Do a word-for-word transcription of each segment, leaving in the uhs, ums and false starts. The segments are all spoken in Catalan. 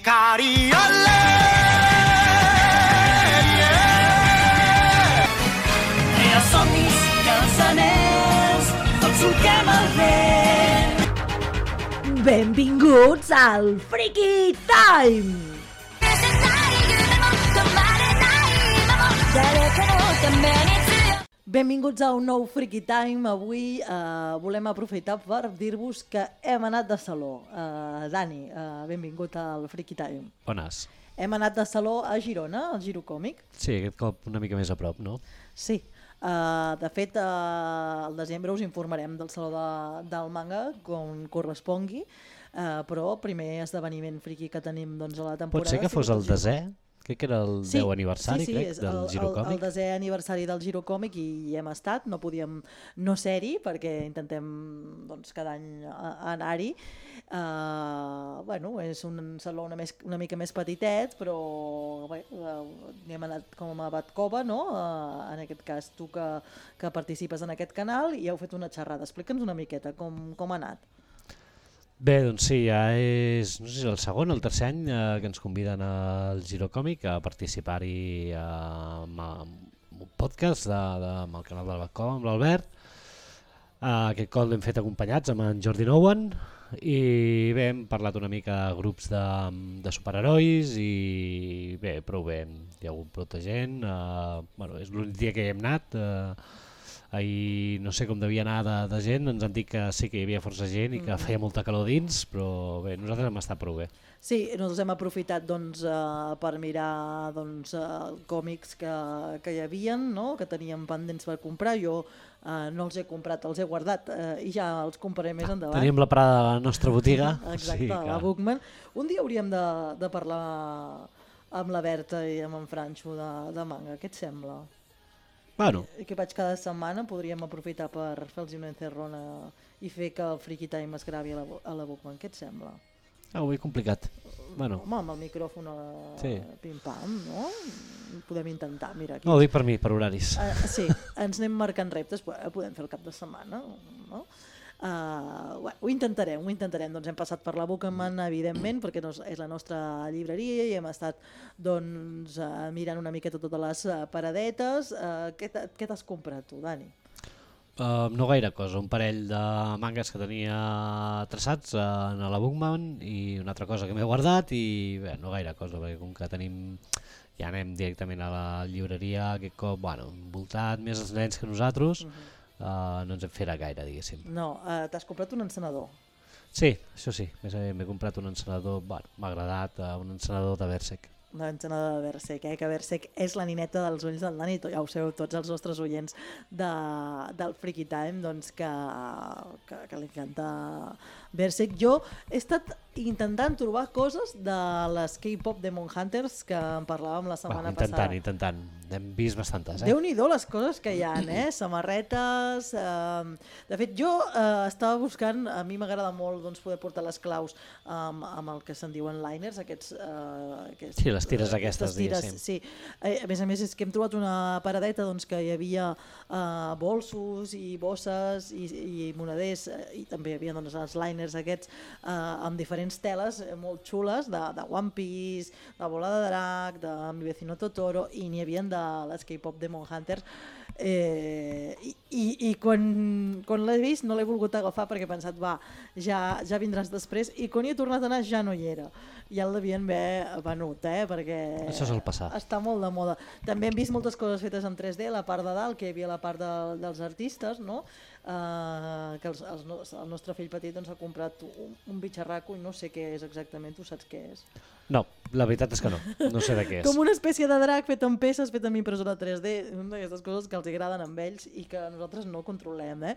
Cariole! I els somnis i els anells, tots solquem el vent. Benvinguts al Freaky Time! Benvinguts a un nou Freaky Time. Avui eh, volem aprofitar per dir-vos que hem anat de saló. Eh, Dani, eh, benvingut al Freaky Time. Bones. Hem anat de saló a Girona, al Giro Còmic. Sí, aquest cop una mica més a prop, no? Sí. Uh, de fet, uh, al desembre us informarem del Saló de, del Manga, com correspongui, uh, però primer esdeveniment friki que tenim doncs, a la temporada... Pot ser que fos el desè? Crec que era el sí, deu aniversari, sí, sí, crec, del el, Giro Còmic. El, el desè aniversari del Giro Còmic i hi hem estat, no podíem no ser-hi perquè intentem doncs, cada any anar-hi. Uh, bueno, és un saló una, més, una mica més petitet, però bé, uh, hem anat com a Batcova, no? Uh, en aquest cas tu que, que participes en aquest canal i heu fet una xerrada. Explica'ns una miqueta com, com ha anat. Bé, doncs sí, ja és no sé si el segon o el tercer any eh, que ens conviden al Giro Còmic a participar-hi eh, amb, amb un podcast de, de, amb el canal del Batcova, amb l'Albert. Eh, aquest cop l'hem fet acompanyats amb en Jordi Nouen i bé, hem parlat una mica de grups de, de superherois i bé, prou bé, hi ha hagut prou de gent. Eh, bueno, és l'únic dia que hi hem anat. Eh, Ahir no sé com devia anar de, de gent, ens han dit que sí que hi havia força gent i que feia molta calor dins, però bé, nosaltres hem estat prou bé. Sí, nosaltres hem aprofitat doncs, uh, per mirar doncs, uh, còmics que, que hi havia, no? Que teníem pendents per comprar. Jo uh, no els he comprat, els he guardat uh, i ja els compraré més endavant. Teníem la parada de la nostra botiga. Exacte, sí, que... la Bookman. Un dia hauríem de, de parlar amb la Berta i amb en Franxo de, de manga, què et sembla? Bueno. I que vaig cada setmana, podríem aprofitar per fer-los una encerrona i fer que el Freaky Time es gravi a la, a la Bookman. Què et sembla? Ah, ho he complicat. Bueno. Home, amb el micròfon a sí. pim-pam, no? Podem intentar, mira. Aquí. No, ho dic per mi, per horaris. Uh, sí, ens anem marcant reptes, podem fer el cap de setmana, no? Uh, bueno, ho intentarem, ho intentarem. Doncs hem passat per la Bookman, evidentment, perquè no és la nostra llibreria i hem estat doncs, uh, mirant una miqueta totes les uh, paradetes. Uh, què t'has comprat tu, Dani? Uh, no gaire cosa, un parell de mangas que tenia traçats uh, en la Bookman i una altra cosa que m'he guardat i bé, no gaire cosa, perquè com que tenim... ja anem directament a la llibreria, aquest cop, bueno, envoltat més els nens que nosaltres. Uh-huh. Uh, no ens en farà gaire, diguéssim. No, uh, t'has comprat un encenedor? Sí, això sí, m'he comprat un encenedor, bueno, m'ha agradat, uh, un encenedor de Berserk. Una encenedor de Berserk, eh? Que Berserk és la nineta dels ulls del Dani, ja ho sabeu tots els nostres oients de, del Freaky Time, doncs que, que, que li encanta Berserk. Jo he estat intentant trobar coses de les K-pop Demon Hunters que en parlàvem la setmana bueno, intentant, passada. Intentant, intentant. Hem vist bastantes, eh? Déu-n'hi-do les coses que hi ha, eh? Samarretes... Eh... De fet, jo eh, estava buscant, a mi m'agrada molt doncs, poder portar les claus amb, amb el que se'n diuen liners, aquests... Eh, aquests sí, les tires aquestes, tires, sí. Eh, a més a més, és que hem trobat una paradeta doncs, que hi havia eh, bolsos i bosses i, i moneders, eh, i també hi havia doncs, els liners aquests eh, amb diferents teles molt xules, de, de One Piece, de Bola de Drac, de Mi Vecino Totoro, i n'hi havia de les K-pop Demon Hunters. Eh, i, i, i quan, quan l'he vist no l'he volgut agafar perquè he pensat, va, ja, ja vindràs després, i quan hi he tornat a anar ja no hi era. Ja el devien haver venut, eh? Perquè això sol passar. Està molt de moda. També hem vist moltes coses fetes en tres D, la part de dalt, que hi havia la part de, dels artistes, no? Uh, que els, els, el nostre fill petit doncs, ha comprat un, un bitxarraco i no sé què és exactament, tu saps què és? No, la veritat és que no, no sé de què és. Com una espècie de drac fet amb peces, fet amb impressora tres D, una d'aquestes coses que els agraden amb ells i que nosaltres no controlem, eh?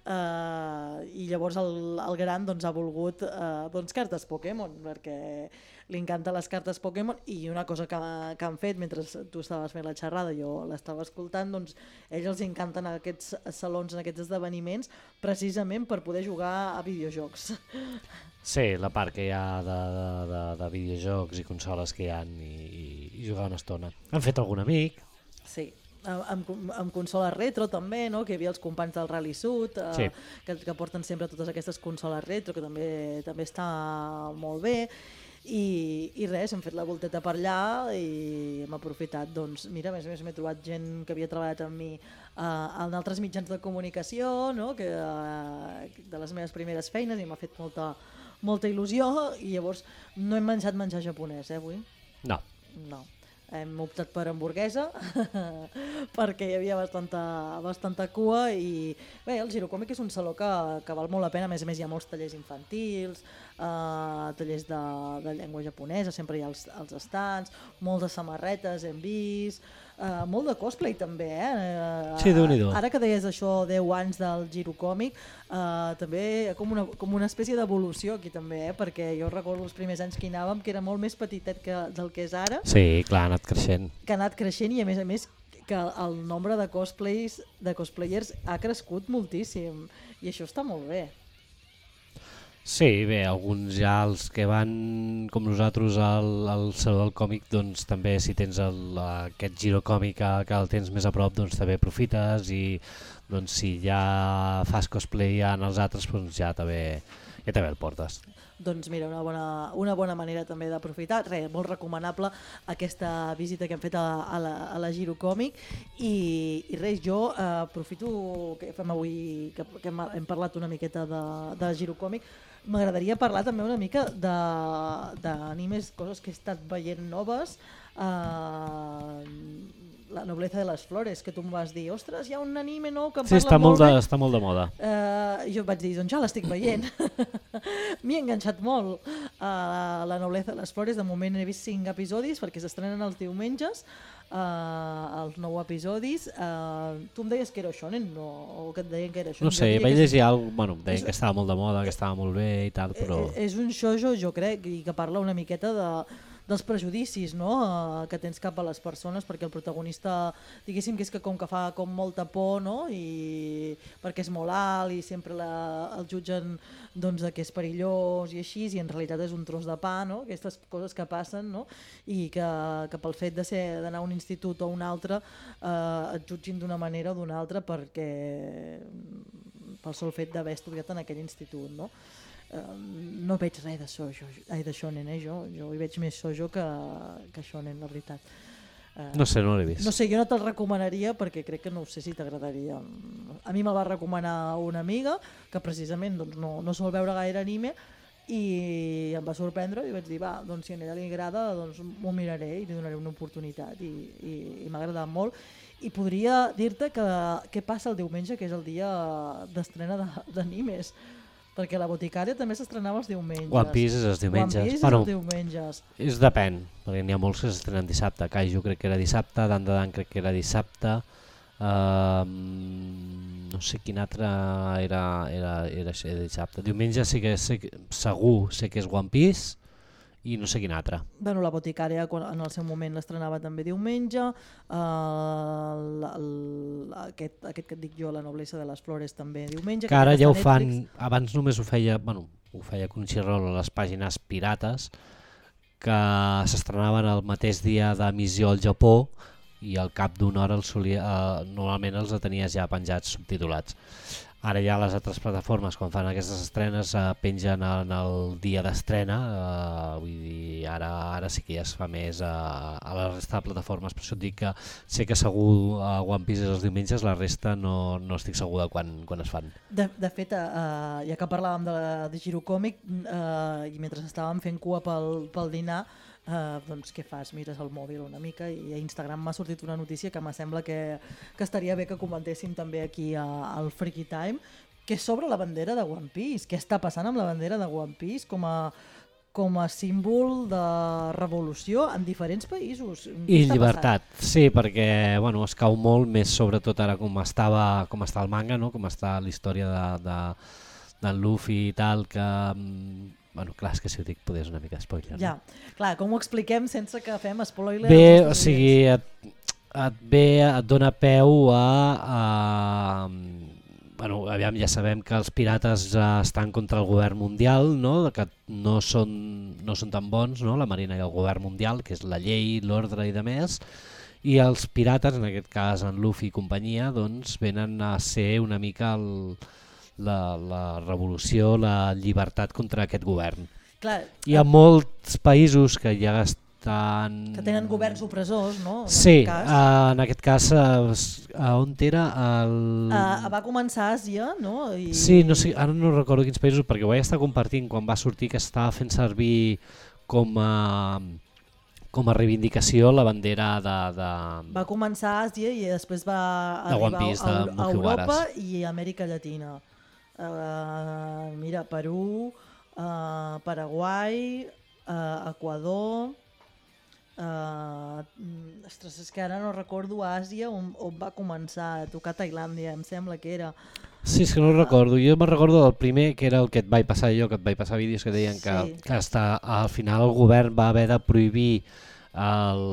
Uh, i llavors el, el gran doncs, ha volgut uh, doncs, cartes Pokémon, perquè li encanten les cartes Pokémon, i una cosa que, que han fet mentre tu estaves fent la xerrada, jo l'estava escoltant, doncs ells els encanten aquests salons, en aquests esdeveniments, precisament per poder jugar a videojocs. Sí, la part que hi ha de, de, de, de videojocs i consoles que hi ha i, i, i jugar una estona. Han fet algun amic? Sí. Amb, amb consoles retro també, no? Que hi havia els companys del Rally Sud, eh, sí. que, que porten sempre totes aquestes consoles retro, que també, també està molt bé. i, i res, hem fet la volteta per allà i hem aprofitat, doncs, mira, a més a més m'he trobat gent que havia treballat amb mi uh, en altres mitjans de comunicació, no? que, uh, de les meves primeres feines, i m'ha fet molta, molta il·lusió, i llavors no hem menjat menjar japonès, eh, avui? No. No. Hem optat per hamburguesa perquè hi havia bastanta, bastanta cua i bé, el Girocòmic és un saló que, que val molt la pena, a més a més hi ha molts tallers infantils, eh, tallers de, de llengua japonesa, sempre hi ha els, els estants, moltes samarretes hem vist, eh, molt de cosplay també, eh? Sí, Déu-n'hi-do. Ara que deies això, deu anys del Girocòmic, eh, també com una, com una espècie d'evolució aquí també, eh? Perquè jo recordo els primers anys que hi anàvem, que era molt més petitet que, del que és ara. Sí, clar, ha anat creixent. Que ha anat creixent i a més a més que el nombre de cosplays, de cosplayers ha crescut moltíssim i això està molt bé. Sí, bé, alguns ja els que van com nosaltres al, al Saló del Còmic, doncs també si tens el, aquest Girocòmic que, que el tens més a prop, doncs també aprofites i doncs si ja fas cosplay ja en els altres, doncs ja també, ja també el portes. Doncs mira, una bona, una bona manera també d'aprofitar, res, molt recomanable aquesta visita que hem fet a, a, la, a la Girocòmic i, i res, jo eh, aprofito que fem avui, que, que hem, hem parlat una miqueta de, de la Girocòmic, m'agradaria parlar també una mica d'animes, coses que he estat veient noves, eh, La nobleza de les flores, que tu em vas dir, ostres, hi ha un anime nou que em sí, parla està molt molt de, bé. està molt de moda. Uh, jo vaig dir, doncs ja l'estic veient. M'hi he enganxat molt. Uh, la nobleza de les flores, de moment he vist cinc episodis perquè s'estrenen els diumenges, uh, els nou episodis. Uh, tu em deies que era shonen, no? O que et deien que era shonen? No sé, Jo vaig diria que llegir alguna cosa, bueno, deien és- que estava molt de moda, que estava molt bé i tal, però... Eh, És un shoujo, jo crec, i que parla una miqueta de, dels prejudicis, no? eh, que tens cap a les persones, perquè el protagonista, diguéssim que és que com que fa com molta por, no? I perquè és molt alt i sempre la, el jutgen doncs, de que és perillós i així, i en realitat és un tros de pa, no? Aquestes coses que passen, no? I que, que pel fet de ser d'anar a un institut o a un altre eh, et jutgin d'una manera o d'una altra perquè pel sol fet d'haver estudiat en aquell institut, no? Uh, no veig res de sojo, ai, de shonen, eh, jo, jo hi veig més sojo que, que shonen, la veritat. Uh, No sé, no l'he vist. no sé, jo no te'l recomanaria perquè crec que no sé si t'agradaria. A mi me'l va recomanar una amiga que precisament doncs, no, no sol veure gaire anime i em va sorprendre i vaig dir, va, doncs si a ella li agrada doncs m'ho miraré i li donaré una oportunitat i, i, i m'ha agradat molt. I podria dir-te que què passa el diumenge, que és el dia d'estrena de- d'animes, perquè la Boticària també s'estrenava els diumenges. One Piece és els diumenges. One Piece Bueno, és els diumenges. és depèn, perquè n'hi ha molts que s'estrenen dissabte. Kaiju crec que era dissabte, Dan de Dan crec que era dissabte, uh, no sé quin altre era, era, era, era dissabte. Diumenge sí que sé, que- segur sé que és One Piece i no sé quin altre. Bueno, la Boticària quan, en el seu moment l'estrenava també diumenge, uh, el, el, aquest, aquest que et dic jo, La noblesa de les flores també diumenge. Que ara aquest ja ho està a fan, Netflix. abans només ho feia, bueno, ho feia Crunchyroll a les pàgines pirates, que s'estrenaven el mateix dia d'emissió al Japó i al cap d'una hora els solia, eh, normalment els tenies ja penjats subtitulats. Ara ja les altres plataformes, quan fan aquestes estrenes, eh, pengen en el dia d'estrena, eh, vull dir, ara, ara sí que ja es fa més eh, a la resta de plataformes, per això et dic que sé que segur a One Piece és els diumenges, la resta no, no estic segur de quan, quan es fan. De, de fet, uh, ja que parlàvem de, de Girocòmic uh, i mentre estàvem fent cua pel, pel dinar, uh, doncs què fas? Mires el mòbil una mica i a Instagram m'ha sortit una notícia que me sembla que, que estaria bé que comentéssim també aquí a, al Freaky Time, que és sobre la bandera de One Piece. Què està passant amb la bandera de One Piece com a, com a símbol de revolució en diferents països? Què I està llibertat, sí, perquè bueno, es cau molt més, sobretot ara com estava com està el manga, no? Com està la història de, de, d'en Luffy i tal, que mm, bueno, clar, és que si ho dic poder és una mica spoiler. Ja, clar, com ho expliquem sense que fem spoiler? Bé, als o nostres sigui, oients? et, et ve, et dona peu a, a bueno, aviam, ja sabem que els pirates eh, estan contra el govern mundial, no? Que no són, no són tan bons, no? La Marina i el govern mundial, que és la llei, l'ordre i de més, i els pirates, en aquest cas en Luffy i companyia, doncs venen a ser una mica el, la, la revolució, la llibertat contra aquest govern. Clar, hi ha molts països que ja estan... que tenen governs opressors, no? En Sí, aquest cas. uh, en aquest cas, uh, a on era? El... Uh, va començar a Àsia, no? I... Sí, no sé, ara no recordo quins països, perquè ho vaig estar compartint quan va sortir que estava fent servir com a, com a reivindicació la bandera de... de... Va començar a Àsia i després va De One arribar Piece, a, de a Europa Mugiwaras. i Amèrica Llatina. Uh, mira, Perú, uh, Paraguai, uh, Equador... Uh, ostres, és que ara no recordo Àsia on, on va començar a tocar Tailàndia, em sembla que era. Sí, és que no ho recordo. Jo me'n recordo del primer, que era el que et vaig passar jo, que et vaig passar vídeos que deien que, Sí. que hasta, al final el govern va haver de prohibir el,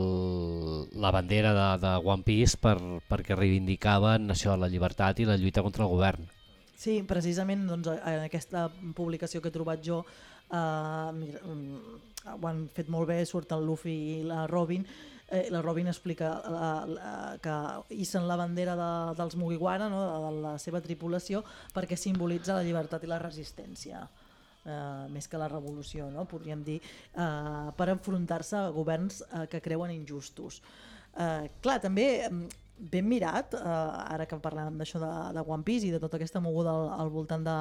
la bandera de, de One Piece per, perquè reivindicaven això, la llibertat i la lluita contra el govern. Sí, precisament doncs, en aquesta publicació que he trobat jo, uh, mira, ho han fet molt bé, surt el Luffy i la Robin. Eh, la Robin explica la, la, que hissen la bandera de, dels Mugiwara, no? de, de la seva tripulació, perquè simbolitza la llibertat i la resistència, eh, més que la revolució, no? Podríem dir, eh, per enfrontar-se a governs eh, que creuen injustos. Eh, clar, també ben mirat, eh, ara que parlàvem d'això de, de One Piece i de tota aquesta moguda al, al voltant de,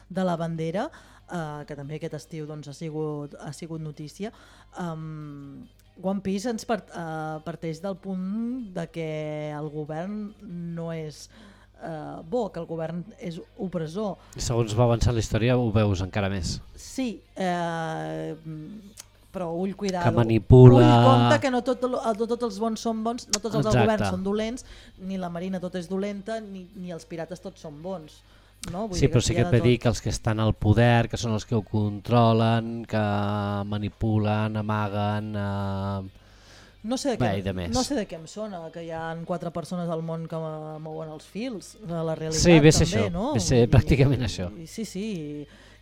de la bandera, eh, que també aquest estiu doncs, ha, sigut, ha sigut notícia, um, One Piece ens part, uh, parteix del punt de que el govern no és uh, bo, que el govern és opressor. I segons va avançar la història ho veus encara més. Sí, eh, però ull, cuidado. Que manipula... Ull, compte que no tot, no tots els bons són bons, no tots els del Exacte. govern són dolents, ni la marina tot és dolenta, ni, ni els pirates tots són bons. No? Vull Sí, dir però sí que et hi ha de ve dir tot. que els que estan al poder, que són els que ho controlen, que manipulen, amaguen... Eh... No sé, de Bé, què, i de més. no sé de què em sona, que hi ha quatre persones al món que mouen els fils, de la realitat Sí, ve ser també, això, no? ve ser I- pràcticament això. I, sí, sí,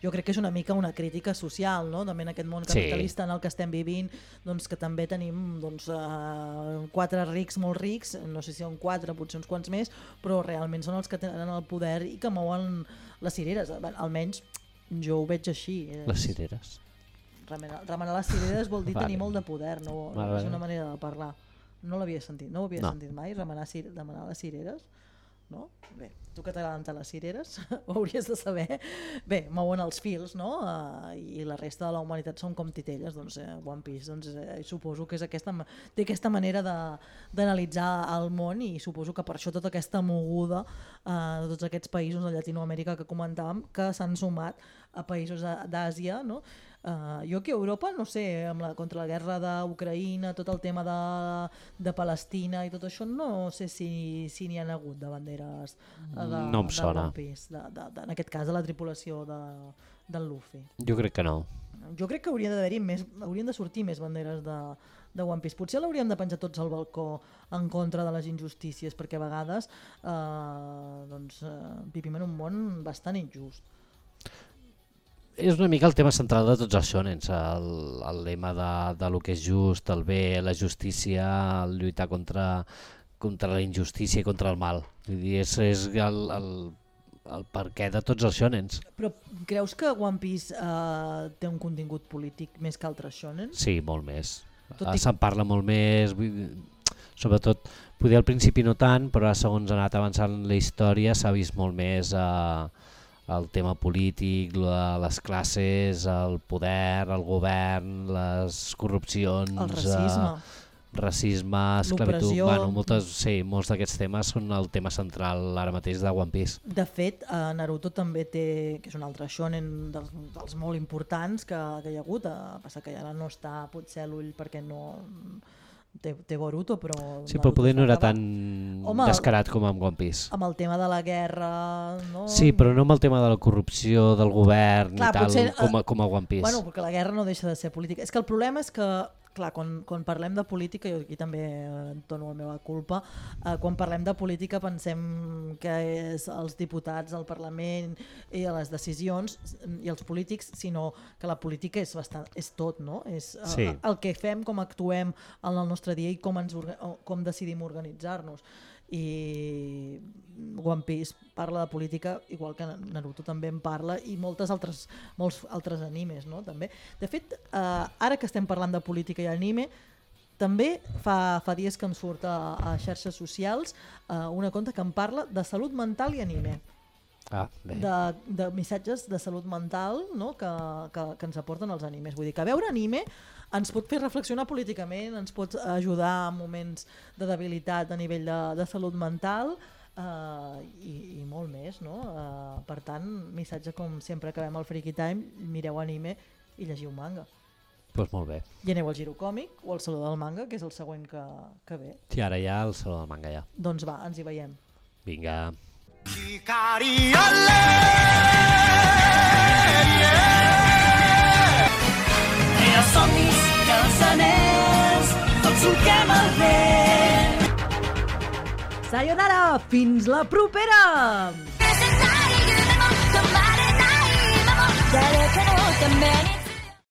jo crec que és una mica una crítica social, no? També en aquest món capitalista en el que estem vivint, doncs que també tenim doncs, uh, quatre rics molt rics, no sé si són quatre, potser uns quants més, però realment són els que tenen el poder i que mouen les cireres, almenys jo ho veig així. Les cireres. Remenar, remenar les cireres vol dir Vale. tenir molt de poder, no, no Vale, és vale. una manera de parlar. No l'havia sentit, no ho havia No. sentit mai, remenar, cir remenar les cireres. No? Bé, tu que t'agraden tant les cireres, ho hauries de saber. Bé, mouen els fils, no? Uh, i la resta de la humanitat són com titelles, doncs eh, One Piece, doncs, eh, suposo que és aquesta, té aquesta manera d'analitzar el món i suposo que per això tota aquesta moguda uh, de tots aquests països de Llatinoamèrica que comentàvem, que s'han sumat a països d'Àsia, no? Uh, jo aquí a Europa, no sé, amb la, contra la guerra d'Ucraïna, tot el tema de, de Palestina i tot això, no sé si si n'hi ha hagut de banderes uh, de, No em de sona. One Piece, de, de, de, en aquest cas de la tripulació de, del Luffy. Jo crec que no. Jo crec que hauria d'haver-hi més, haurien de sortir més banderes de, de One Piece. Potser l'hauríem de penjar tots al balcó en contra de les injustícies, perquè a vegades eh, doncs, eh, vivim en un món bastant injust. És una mica el tema central de tots els shonens, el, el lema de, de lo que és just, el bé, la justícia, el lluitar contra, contra la injustícia i contra el mal. Vull dir, és, és el, el, el perquè de tots els shonens. Però creus que One Piece eh, té un contingut polític més que altres shonen? Sí, molt més. Tot i- Se'n parla molt més, vull dir, sobretot, poder al principi no tant, però ara segons ha anat avançant la història s'ha vist molt més eh, el tema polític, la, les classes, el poder, el govern, les corrupcions, El racisme. eh, racisme, esclavitud, L'opressió. bueno, moltes, sí, molts d'aquests temes són el tema central ara mateix de One Piece. De fet, eh, Naruto també té, que és un altre shonen dels, dels molt importants que, que hi ha hagut, eh, passa que ara no està potser a l'ull perquè no té, té Boruto, però... Sí, però Naruto poder es no va era acabar. tan Home, descarat com amb One Piece. Amb el tema de la guerra... No? Sí, però no amb el tema de la corrupció del govern Clar, i tal, potser, com, a, eh, com a One Piece. Bueno, perquè la guerra no deixa de ser política. És que el problema és que, clar, quan, quan parlem de política, jo aquí també eh, dono la meva culpa, eh, quan parlem de política pensem que és els diputats, el Parlament i les decisions i els polítics, sinó que la política és, bastant, és tot, no? És eh, Sí. el que fem, com actuem en el nostre dia i com, ens, orga- com decidim organitzar-nos. i One Piece parla de política igual que Naruto també en parla i moltes altres, molts altres animes, no? També. De fet, eh, ara que estem parlant de política i anime, també fa, fa dies que em surt a, a xarxes socials eh, una conta que em parla de salut mental i anime. Ah, bé. De, de missatges de salut mental, no? que, que, que ens aporten els animes. Vull dir que veure anime ens pot fer reflexionar políticament, ens pot ajudar en moments de debilitat a nivell de, de salut mental uh, i, i molt més. No? Uh, per tant, missatge com sempre acabem el Freaky Time, mireu anime i llegiu manga. Pues molt bé. I aneu al Giro Còmic o al Saló del Manga, que és el següent que, que ve. Sí, ara ja al Saló del Manga ja. Doncs va, ens hi veiem. Vinga. Hi ha somnis, cançoners, tots solquem el vent. Sayonara! Fins la propera! 誰かのために